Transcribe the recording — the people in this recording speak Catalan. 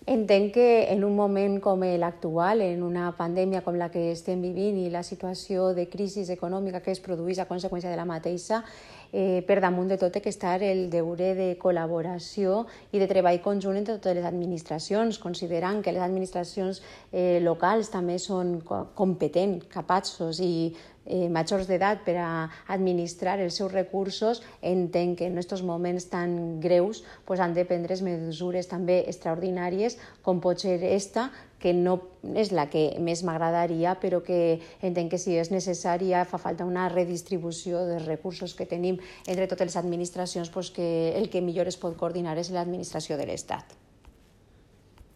Entenc que en un moment com l'actual, en una pandèmia com la que estem vivint i la situació de crisi econòmica que es produeix a conseqüència de la mateixa, per damunt de tot té que estar el deure de col·laboració i de treball conjunt entre totes les administracions, considerant que les administracions locals també són competents, capaços i majors d'edat per a administrar els seus recursos. Entenc que en aquests moments tan greus han de prendre mesures també extraordinàries, com pot ser esta, que no és la que més m'agradaria, però que entenc que si és necessària fa falta una redistribució dels recursos que tenim entre totes les administracions, que el que millor es pot coordinar és l'administració de l'Estat.